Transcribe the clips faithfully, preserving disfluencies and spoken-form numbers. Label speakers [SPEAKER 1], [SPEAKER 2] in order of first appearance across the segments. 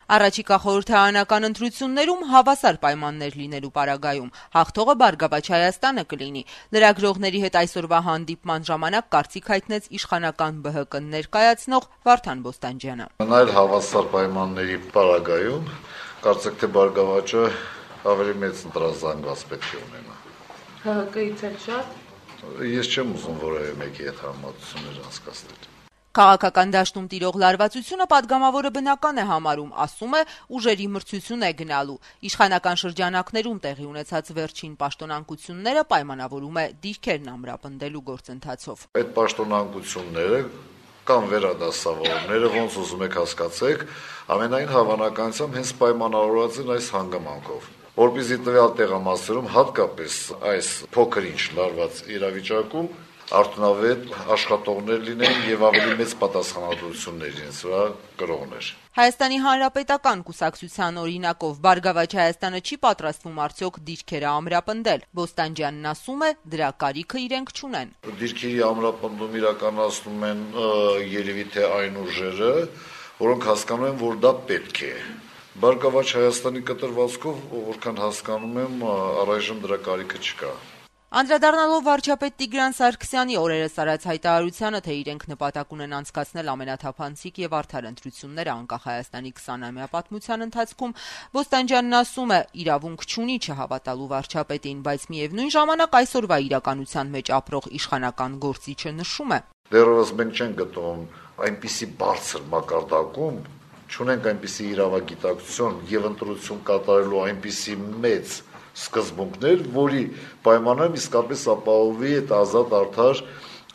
[SPEAKER 1] Առաջիկա խորհրդարանական ընտրություններում հավասար պայմաններ լինելու պարագայում հաղթողը Բարգավաճ Հայաստանը կլինի։ Լրագրողների հետ այսօրվա հանդիպման ժամանակ կարծիք հայտնեց իշխանական Բ Հ Կ ներկայացնող Վարդան Բոստանջյանը։
[SPEAKER 2] Այլ հավասար պայմանների պարագայում կարծեք թե Բարգավաճը ավելի մեծ ընտրազանգված պետք է ունենա։
[SPEAKER 3] Հ Հ Կից էլ շատ։
[SPEAKER 2] Ես չեմ ուզում որևէ մեկի հետ համատություններ անցկացնել։
[SPEAKER 1] Քաղաքական դաշտում տիրող լարվածությունը պատգամավորը բնական է համարում, ասում է, ուժերի մրցություն է գնալու։ Իշխանական շրջանակներում տեղի ունեցած վերջին պաշտոնանկությունները պայմանավորում է դիրքերն ամրապնդելու գործընթացով։
[SPEAKER 2] Այդ պաշտոնանկությունները կամ վերադասավորները, ոնց ուզում եք հասկացեք, ամենայն հավանականությամբ հենց պայմանավորված են այս հանգամանքով, որպեսզի տվյալ տեղամասերում հատկապես այս փոքր-ինչ լարված իրավիճակում արդյունավետ աշխատողներ լինեն եւ ավելի մեծ պատասխանատվություններ իրենց վրա կրողներ։
[SPEAKER 1] Հայաստանի Հանրապետական կուսակցության օրինակով Բարգավաճ Հայաստանը չի պատրաստվում արդյոք դիրքերը ամրապնդել։ Բոստանջյանն ասում է, դրա կարիքը իրենք չունեն։
[SPEAKER 2] Դիրքերի ամրապնդում իրականացնում են երևի թե այն ուժերը, որոնք հասկանում են, որ դա պետք է։ Բարգավաճ Հայաստանի կտրվածքով, որքան հասկանում եմ, առայժմ դրա կարիքը չկա։
[SPEAKER 1] Անդրադառնալով վարչապետ Տիգրան Սարգսյանի օրերս արած հայտարարությանը, թե իրենք նպատակ ունեն անցկացնել ամենաթափանցիկ եւ արդար ընտրությունները անկախ Հայաստանի քսանամյա պատմության ընթացքում, Բոստանջյանն ասում է, իրավունք չունի չհավատալու վարչապետին, բայց միևնույն ժամանակ այսօրվա իրականության մեջ ապրող իշխանական գործիչը նշում է.
[SPEAKER 2] Դեռևս մենք չենք գտնվում այնպիսի բարձր մակարդակում, չունենք այնպիսի իրավագիտակցություն եւ ընտրություն կատարելու այնպիսի մեծ սկզբունքներ, որի պայմաններում իսկապես ապահովի այդ ազատ արդար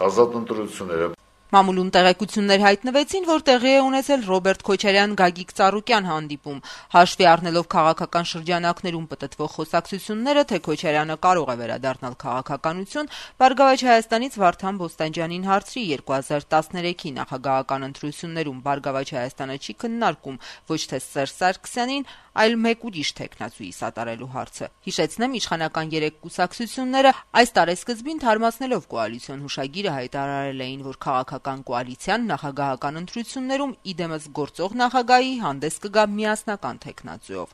[SPEAKER 2] ազատ ընտրությունները։
[SPEAKER 1] Մամուլում տեղեկություններ հայտնվեցին, որ տեղի է ունեցել Ռոբերտ Քոչարյան-Գագիկ Ծառուկյան հանդիպում, հաշվի առնելով քաղաքական շրջանակներում պտտվող խոսակցությունները, թե Քոչարյանը կարող է վերադառնալ քաղաքականություն, Բարգավաճ Հայաստանից Վարդան Բոստանջյանին հարցրի երկու հազար տասներեքի նախագահական ընտրություններում Բարգավաճ Հայաստանը չի քննարկում ոչ թե Սերժ Սարգսյանին, այլ մեկ ուրիշ թեկնածուի սատարելու հարցը։ Հիշեցնեմ, իշխանական երեք կուսակցությունները այս տարեսկզբին թարմացնելով կոալիցիոն հուշագիրը հայտարարել էին, որ քաղաքական կոալիցիան նախագահական ընտրություններում իդեմս գործող նախագահի հանդես կգա միասնական թեկնածուով։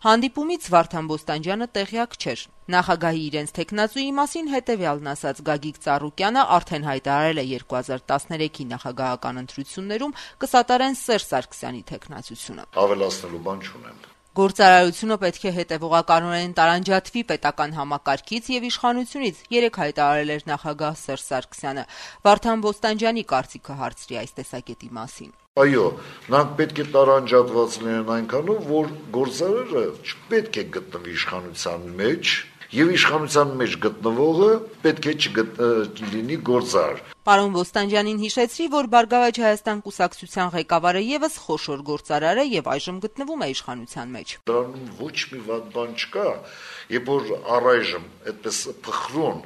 [SPEAKER 1] Հանդիպումից Վարդան Բոստանջյանը տեղյակ չէր։ Նախագահի իրենց թեկնածուի մասին հետևյալն ասաց Գագիկ Ծառուկյանը արդեն հայտարարել է երկու հազար տասներեքի նախագահական ընտրություններում կսատարեն Սերժ Սարգսյանի թեկնածությունը։
[SPEAKER 2] Ավելացնելու բան չունեմ։
[SPEAKER 1] Գործարարությունը պետք է հետևողականորեն տարանջատվի պետական համակարգից եւ իշխանությունից, երեք հայտարարել էր նախագահ Սերժ Սարգսյանը։ Վարդան Բոստանջյանի կարծիքը հարցրի այս տեսակետի մասին։
[SPEAKER 2] Այո, նրանք պետք է տարանջատված լինեն այնքանով, որ գործարարը չպետք է գտնվի իշխանության մեջ, եւ իշխանության մեջ գտնվողը պետք է չլինի գործարար։
[SPEAKER 1] Պարոն Բոստանջյանին հիշեցրի, որ Բարգավաճ Հայաստան կուսակցության ղեկավարը եւս խոշոր գործարար է եւ այժմ գտնվում է իշխանության մեջ։
[SPEAKER 2] Դրանում ոչ մի վատ բան չկա, երբ որ առայժմ այդպես փխրուն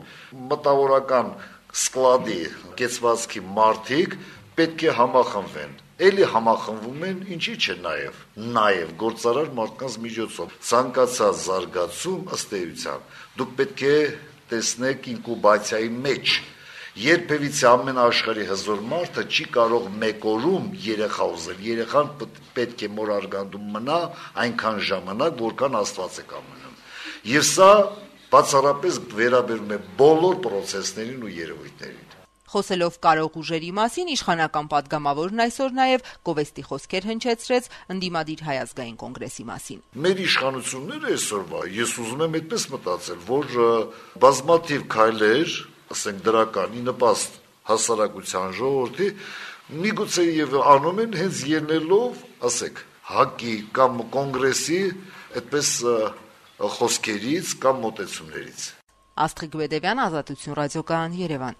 [SPEAKER 2] մտավորական սկլադի կեցվածքի մարդիկ պետք է համախմբվեն։ Էլի համախմբվում են, ինչի՞ չէ նաեւ, նաեւ գործարար մարդկանց միջոցով։ Ցանկացած զարգացում ըստ էության դուք պետք է տեսնեք ինկուբացիայի մեջ։ Երբևիցե ամեն աշխարհի հզոր մարդը չի կարող մեկ օրում երեխա ուզել։ Երեխան պետք է մոր արգանդում մնա այնքան ժամանակ, որքան Աստված է կամենում։ Եվ սա բացառապես վերաբերում է բոլոր process-ներին ու երևույթներին։
[SPEAKER 1] Խոսելով կարող ուժերի մասին, իշխանական պատգամավորն այսօր նաև գովեստի խոսքեր հնչեցրեց ընդդիմադիր Հայ ազգային կոնգրեսի մասին։
[SPEAKER 2] Մեր իշխանությունները այսօրվա, ես ուզում եմ այդպես մտածել, որ բազմաթիվ քայլեր, ասենք դրականի նպաստ հասարակության ժողովրդի, միգուցե եւ անում են հենց ելնելով, ասեք, ՀԱԿ-ի կամ կոնգրեսի այդպես խոսքերից կամ մոտեցումներից։
[SPEAKER 1] Աստղիկ Բեդևյան, Ազատություն ռադիոկայան, Երևան։